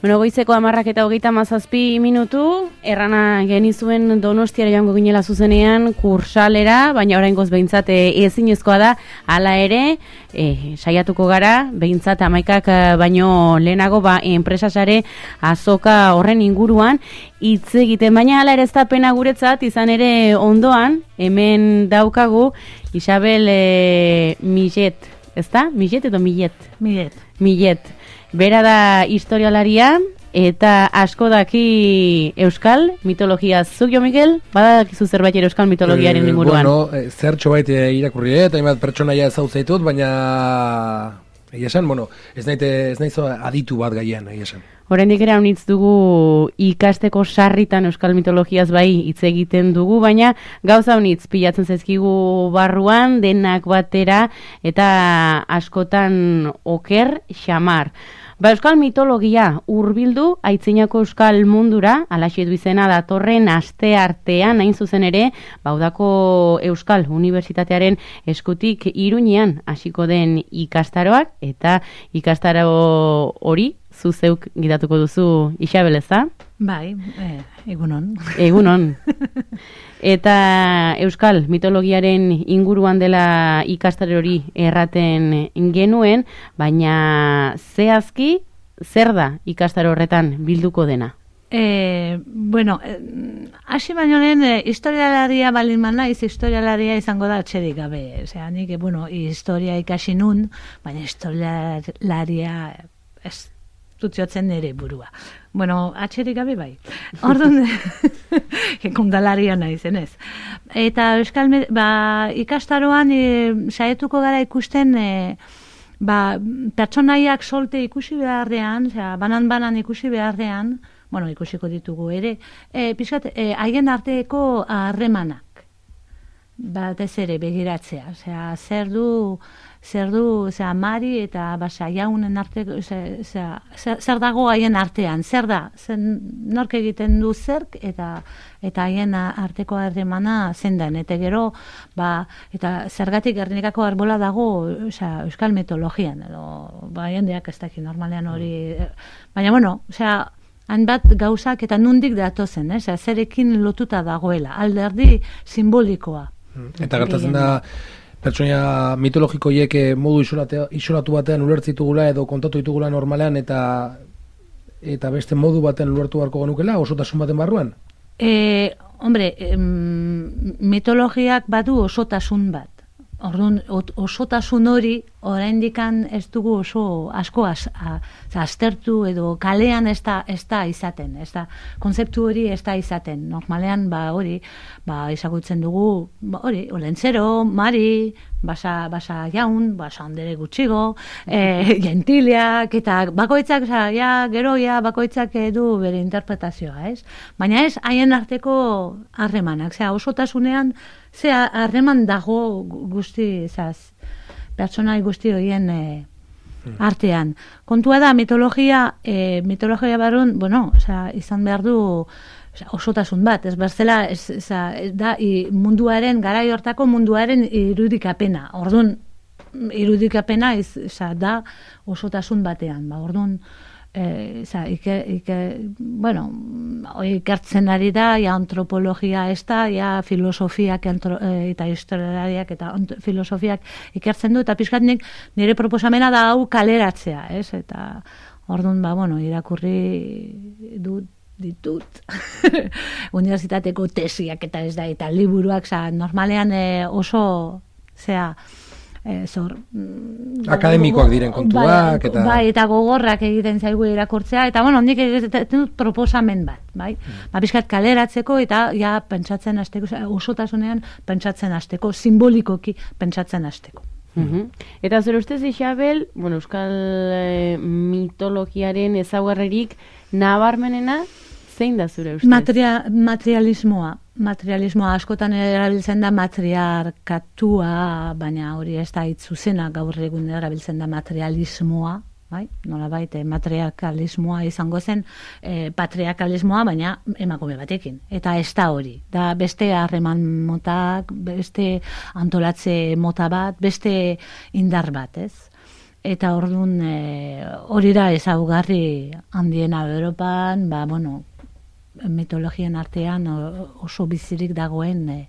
Bueno, goizeko 10:37 errana genizuen Donostiara joango ginela zuzenean kursalera, baina oraingoz behintzat ezinezkoa da, hala ere, saiatuko gara, behintzat 11 baino lehenago enpresasare azoka horren inguruan hitz egiten, baina hala ere ez da pena guretzat, izan ere ondoan, hemen daukagu Isabel Millet, ezta? Millet edo Millet? Millet. Bera da historialaria eta asko daki euskal mitologia. Zuk, Jo Mikel, badakizu zerbait euskal mitologiaren inguruan? Bueno, zertxo bait irakurri, eta hainbat pertsonaia ezautzaitut, baina esan, bueno, ez naiz aditu bat gaian, esan. Oraindik ere haunitz dugu ikasteko sarritan euskal mitologiaz bai hitz egiten dugu, baina gauza haunitz pilatzen zaizkigu barruan, denak batera, eta askotan oker xamar. Euskal mitologia hurbildu aitzinako euskal mundura, alaxe du izena datorren aste artean, hain zuzen ere, Udako Euskal Unibertsitatearen eskutik Iruñean hasiko den ikastaroak, eta ikastaro hori zuzeuk gidatuko duzu, Isabel, ezta? Bai, egunon. Egunon. Eta euskal mitologiaren inguruan dela ikastaro hori erraten genuen, baina zehazki zer da ikastaro horretan bilduko dena? Bueno, hasi baino lehen historialaria balin naiz, historialaria izango da atxerik gabe. Osea, nik, historia ikasi nun, baina historialaria ez dutiotzen nire burua. Bueno, atxerik gabe bai. Orduan, kondalaria naizen ez. Eta euskal ikastaroan saietuko gara ikusten pertsonaiak solte ikusi beharrean, banan ikusi beharrean, bueno, ikusiko ditugu ere, pixkat, haien arteko harremanak. Batez ere begiratzea. Zer du, Mari eta Jaunen arteko, zer dago haien artean, zer da, nork egiten du zerk, eta haien arteko harremana zendan, eta gero, eta zergatik Gernikako arbola dago euskal mitologian, edo, jendeak ez daki normalean hori, baina, bueno, hanbat gauzak eta nundik datozen, zerekin lotuta dagoela, alderdi simbolikoa. Eta gertatzen da, pertsonaia mitologikoiek modu isolatu batean ulertzitugula edo kontatu ditugula normalean eta beste modu batean ulertu beharko genukela, osotasun baten barruan? Mitologiak badu osotasun bat. Orduan, osotasun hori, oraindikan ez dugu oso asko aztertu edo kalean ez da izaten, konzeptu hori ez da izaten. Normalean, ezagutzen dugu, Olentzero, Mari, Basa Jaun, Basa Andere Gutxigo, Gentiliak, eta bakoitzak, bakoitzak du bere interpretazioa, ez? Baina ez, haien arteko harremanak, osotasunean, harreman dago pertsonai guzti horien artean. Kontua da, mitologia barrun, izan behar du osotasun bat, ez berzela, da munduaren, garai hortako munduaren irudikapena. Orduan, irudikapena da osotasun batean. Orduan, ikertzen ari da, antropologia ez da, filosofiak eta historialariak eta filosofiak ikertzen du, eta pixkatnik nire proposamena da hau kaleratzea, ez? Eta orduan, irakurri ditut unibertsitateko tesiak eta ez da, eta liburuak, normalean oso, akademikoak diren kontuak eta gogorrak egiten zaigu irakurtzea, eta nik egiten dut proposamen bat, pixkat kaleratzeko eta pentsatzen hasteko, osotasunean pentsatzen hasteko, simbolikoki pentsatzen hasteko. Eta zure ustez, Isabel, euskal mitologiaren ezaugarririk nabarmenena zein da zure ustez? Materialismoa askotan erabiltzen da matriarkatua, baina hori ez da hitz zuzena, gaur egun erabiltzen da materialismoa, nolabait matriarkalismoa izango zen, patriarkalismoa, baina emakume batekin. Eta ez da hori. Da beste harreman motak, beste antolatze mota bat, beste indar bat, ez? Eta orduan hori da ezaugarri handiena Europan, mitologian artean oso bizirik dagoen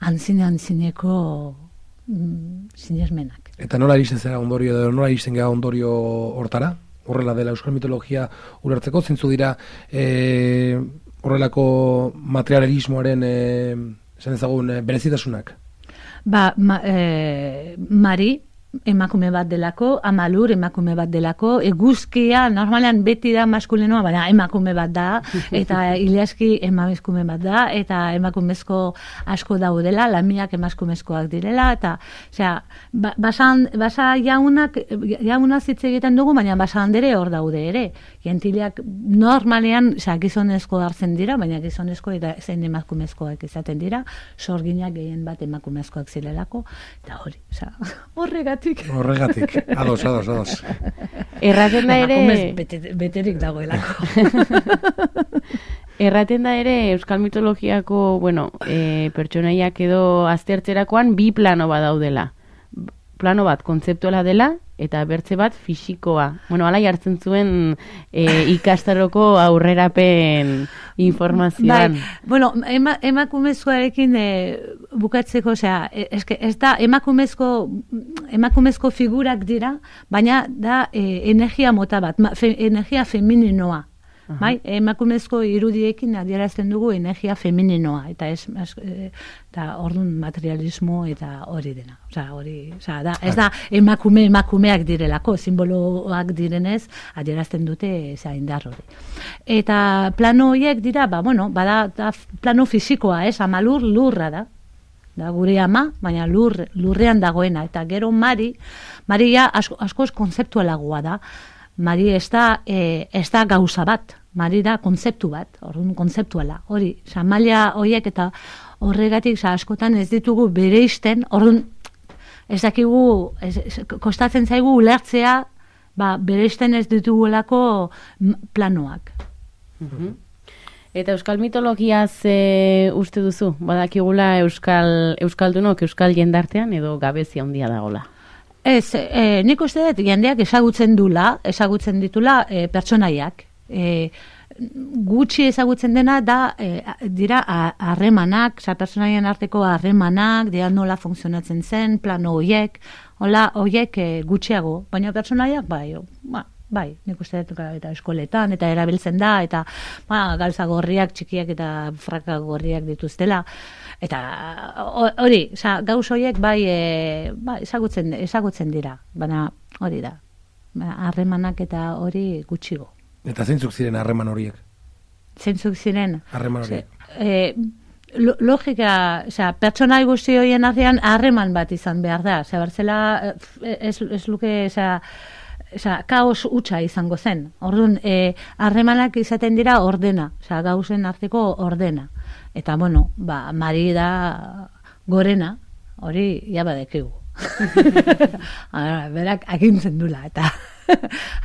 antzineko sinesmenak. Eta nola iristen zera ondorio, edo nola iristen gara ondorio hortara? Horrela dela euskal mitologia ulertzeko, zintzu dira horrelako materialismoaren esan ezagun berezitasunak? Mari emakume bat delako, Amalur emakume bat delako, eguzkia normalean beti da maskulinoa, baina emakume bat da, eta Iliaski emakume bat da, eta emakumezko asko daudela, lamiak emakumezkoak direla, eta basa jaunaz hitz egiten dugu, baina basa handere hor daude ere. Gentileak normalean gizonezko hartzen dira, baina gizonezko eta zein emakumezkoak izaten dira, sorginak gehien bat emakumezkoak zirelako, eta hori, Horregatik, ados. Erraten da ere... Beterik dagoelako. Erraten da ere euskal mitologiako, pertsonaiak edo aztertzerakoan bi plano bat daudela. Plano bat kontzeptuala dela, eta bertze bat fisikoa. Hala jartzen zuen ikastaroko aurrerapen informazioan. Emakumezkoarekin bukatzeko, ez da emakumezko figurak dira, baina da energia mota bat, energia femininoa. Emakumezko irudiekin adierazten dugu energia femininoa, eta orduan materialismo eta hori dena. Ez da emakumeak direlako, simboloak direnez adierazten dute indar hori. Eta plano horiek dira, bada plano fisikoa, Amalur lurra da gure ama, baina lurrean dagoena, eta gero Maria askoz konzeptualagoa da. Mari ez da gauza bat, Mari da konzeptu bat, orduan konzeptuala, hori, maila horiek eta horregatik askotan ez ditugu bereizten, orduan ez dakigu, kostatzen zaigu ulertzea, bereizten ez ditugulako planoak. Eta euskal mitologiaz uste duzu, badakigula euskaldunok euskal jendartean edo gabezia handia dagola? Ez, nik uste dut jendeak ezagutzen ditula pertsonaiak. Gutxi ezagutzen dena dira harremanak, pertsonaien arteko harremanak, dira nola funtzionatzen zen, plano horiek, gutxiago, baina pertsonaiak bai, nik uste dut eta eskoletan, eta erabiltzen da, eta galtza gorriak txikiak eta fraka gorriak dituztela, eta hori, gauz horiek bai ezagutzen dira, baina hori da, harremanak eta hori gutxigo. Eta zeintzuk ziren harreman horiek? Zeintzuk ziren? Harreman horiek. Logika, pertsonai guzti horien artean harreman bat izan behar da, berzela ez luke, kaos hutsa izango zen. Orduan, harremanak izaten dira ordena, gauzen arteko ordena. Eta, Mari da gorena, hori jabadekigu. Berak agintzen dula, eta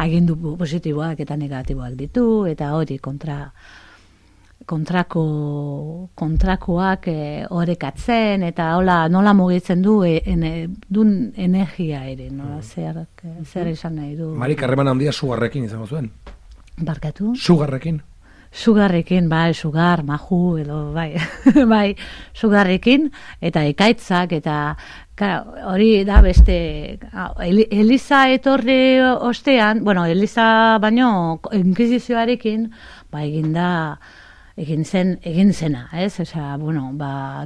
agindu positiboak eta negatiboak ditu, eta hori kontrakoak orekatzen, eta nola mugitzen dun energia ere, zer esan nahi du. Marik harreman handia sugarrekin izango zuen? Barkatu? Sugarrekin? Sugarrekin, sugar, maju, edo, sugarrekin, eta ekaitzak, eta hori da beste, Eliza etorri ostean, Eliza baino inkisizioarekin, egin zena, ez?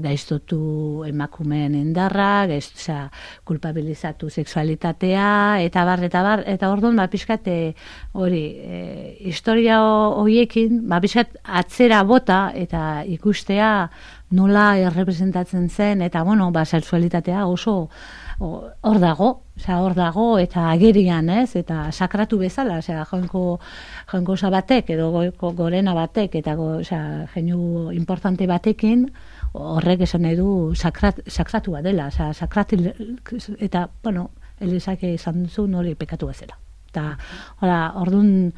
Gaiztotu emakumeen indarra, kulpabilizatu sexualitatea, eta bar, eta orduan, pixkat hori, historia horiekin, pixkat atzera bota, eta ikustea nola errepresentatzen zen, eta, sexualitatea oso hor dago, eta agerian, ez? Eta sakratu bezala, jainkosa batek, edo gorena batek, eta jeinu importante batekin, horrek esan nahi du sakratua dela, eta, Elizak izan zuen hori pekatu bezala. Eta, orduan,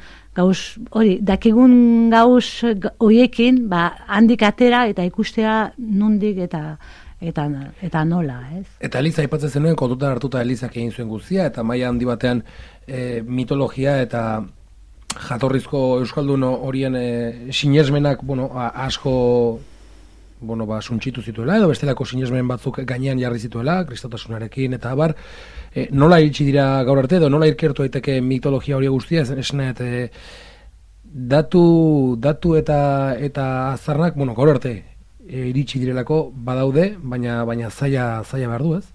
dakigun gauz horiekin, handik atera, eta ikustea nondik, eta eta nola, ez? Eta Eliza aipatzen zenuen, kontutan hartuta Elizak egin zuen guztia, eta maila handi batean mitologia eta jatorrizko euskaldun horien sinesmenak, asko suntxitu zituela, edo bestelako sinesmen batzuk gainean jarri zituela, kristautasunarekin, eta abar, nola iritsi dira gaur arte, edo nola irkertu daiteke mitologia hori guztia, esanet, datu eta azarnak, gaur arte iritsi direlako badaude, baina zaila behar du, ez?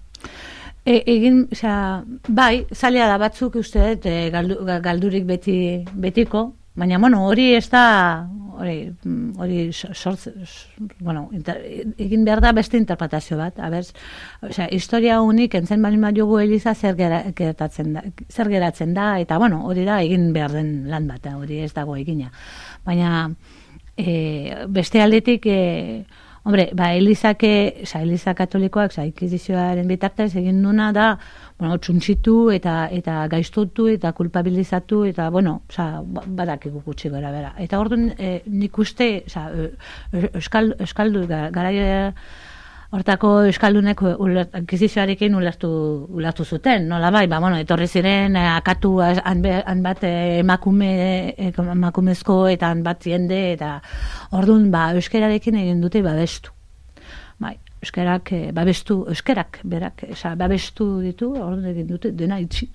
Bai, zaila da batzuk uste dut galdurik betiko, baina, hori ez da, hori egin behar da beste interpretazio bat, historia unik entzen bali jogu Eliza zer geratzen da, eta, hori da egin behar den lan bat, hori ez dago egina. Baina, beste aldetik, Eliza katolikoak, inkisizioaren bitartez egin duna da, txuntxitu eta gaiztutu eta kulpabilizatu eta, badakigu gutxi gara bera. Eta orduan nik uste, euskaldu, gara hortako euskaldunek inkisizioarekin ulertu zuten, nola bai, etorri ziren akatu han bat emakumezko eta han bat jende, eta orduan euskerarekin egin dute babestu. Euskerak berak babestu ditu, orduan egin dute dena itxi.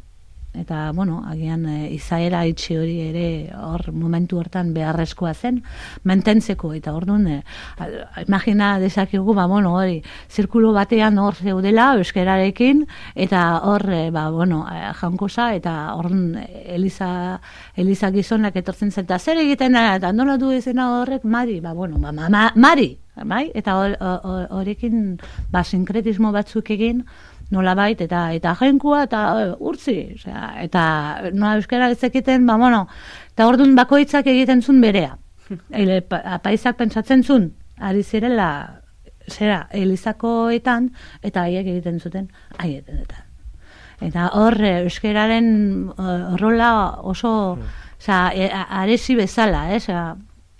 Eta, agian izaera itxi hori ere hor momentu hortan beharrezkoa zen, mantentzeko, eta orduan, imagina dezakigu, hori, zirkulo batean hor zeudela euskerarekin, eta hor, jankosa, eta orduan Eliza gizonak etortzen zen, eta zer egiten, eta nola du ezena horrek, Mari, Mari, bai? Eta horrekin sinkretismo batzuk egin, nolabait, eta jainkoa, eta urtzi, eta nola euskara ezekiten, eta orduan bakoitzak egiten zuen berea. Apaizak pentsatzen zuen, ari zirela, Elizakoetan, eta haiek egiten zuten, haietenetan. Eta hor, euskararen rola oso, aresi bezala,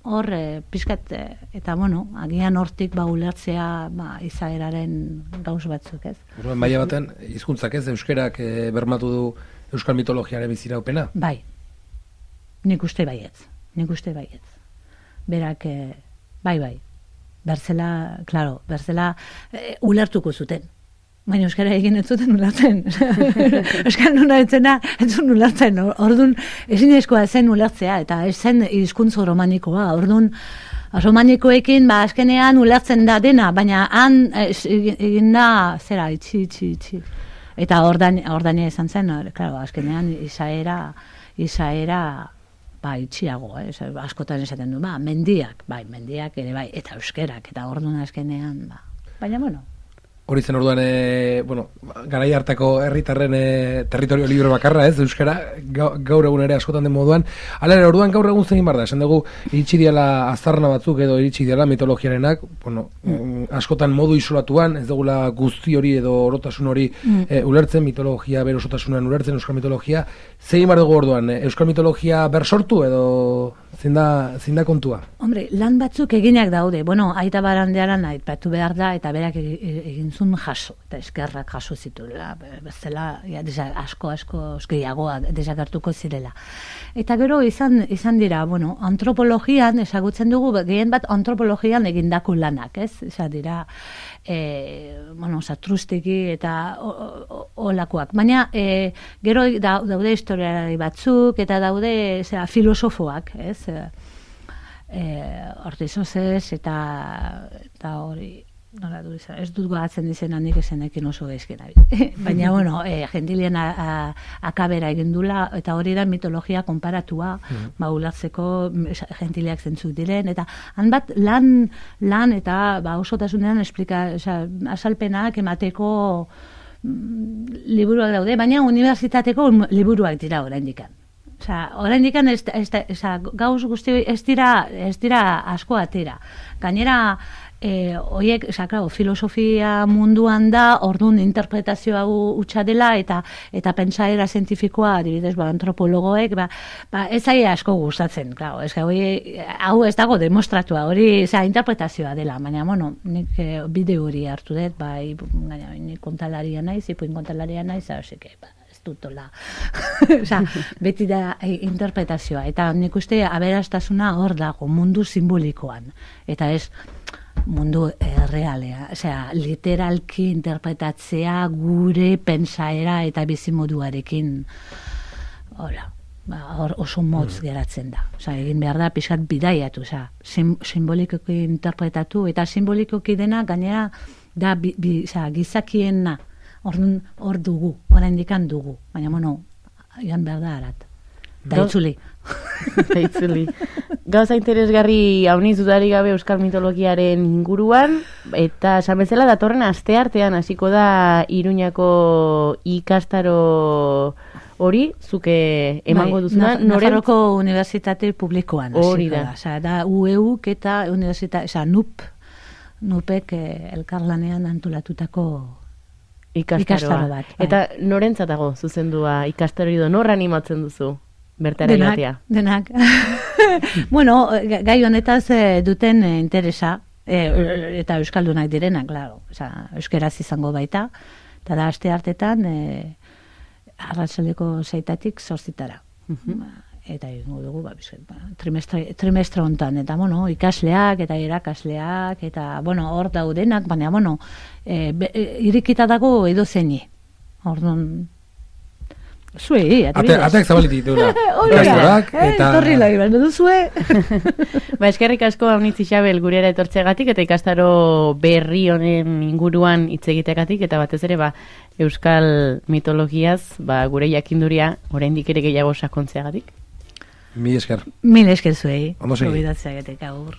hor pizkat, eta agian hortik ulertzea izaeraren gauz batzuk, ez? Maila baten, hizkuntzak ez, euskerak bermatu du euskal mitologiaren biziraupena? Bai, nik uste baietz. Berak, bai, berzela ulertuko zuten. Baina euskara egin ez zuten ulertzen. Euskal nuna etzun ulertzen. Orduan, ezinezkoa zen ulertzea, eta ez zen hizkuntza romanikoa. Orduan, romanikoekin, azkenean ulertzen da dena, baina han egin da, itxi. Eta ordania izan zen, azkenean izaera itxiago, askotan esaten du, mendiak ere bai, eta euskerak, eta orduan azkenean, baina, Hori zen orduan, garai hartako herritarren territorio libre bakarra, ez, euskara, gaur egun ere askotan den moduan. Hala ere, orduan gaur egun zein bar da, esan dugu, iritsi diala aztarna batzuk edo iritsi diala mitologiarenak, askotan modu isolatuan, ez dugula guzti hori edo orotasun hori ulertzen, mitologia berosotasunan ulertzen, euskal mitologia. Zein bar dugu orduan, euskal mitologia bersortu edo zein da kontua? Hombre, lan batzuk eginak daude, aita barandearan aipatu behar da, eta berak egin zuen jaso, eta eskerrak jaso zituela, bezala, asko gehiagoak desagertuko zirela. Eta gero izan dira, antropologian, ezagutzen dugu, gehien bat antropologian egindako lanak, ez? Izan dira, satrustiki eta olakoak. Baina, gero daude historiari batzuk, eta daude filosofoak, ez? Ortizozez, eta hori, nola du izan, ez dut goatzen izena nik esenekin oso gaizkena. Baina, gentilien akabera egin dula, eta hori da mitologia konparatua, ulertzeko gentiliak zentzuk diren, eta han bat lan eta osotasunean azalpenak emateko liburuak daude, baina unibertsitateko liburuak dira oraindikan. Oraindikan gauz guzti ez dira asko atera. Gainera, Oiek, claro, filosofia munduan da, orduan interpretazioa hutsa dela, eta pentsaera zientifikoa, adibidez, antropologoek, ez zaie asko gustatzen, claro, hau ez dago demostratua, hori, interpretazioa dela, baina, bueno, nik bideo hori hartu dut, nik kontalaria naiz, ipuin kontalaria naiz, ez dutola. Beti da interpretazioa, eta nik uste aberastasuna hor dago, mundu simbolikoan, eta ez mundu realea, literalki interpretatzea gure pentsaera eta bizimoduarekin oso motz geratzen da. Egin behar da pixkat bidaiatu, simbolikoki interpretatu, eta simbolikoki dena gainera da gizakiena hor dugu, oraindik dugu, baina joan behar da arat. Da itzuli. Gauza interesgarri hauniz dudarik gabe euskal mitologiaren inguruan, eta esan bezala datorren asteartean hasiko da Iruñako ikastaro hori, zuke emango duzuna. Nafarroko Unibertsitate Publikoan. Hori da. Da UEUk eta NUPek elkarlanean antolatutako ikastaro bat. Eta norentzatago zuzendua ikastaro edo nor animatzen duzu? Bertara iratia. Denak. Bueno, gai honetaz duten interesa, eta euskaldunak direnak, claro. Euskeraz izango baita, eta da aste hartetan arratsaldeko 6 zortzitara. Eta egingo dugu, trimestre hontan, eta ikasleak eta irakasleak, eta hor daudenak, baina irikita dago edo zeini. Orduan, zuei, ateak zabalitik dula. Torri lai, baina duzue. Eskerrik asko Aunitz Isabel gurera etortzegatik eta ikastaro berri honen inguruan hitz egiteagatik, eta batez ere euskal mitologiaz gure jakinduria oraindik ere gehiago sakontzeagatik. Mil esker. Mil esker zuei. Ondo segi. Gobidatzeagatik agur.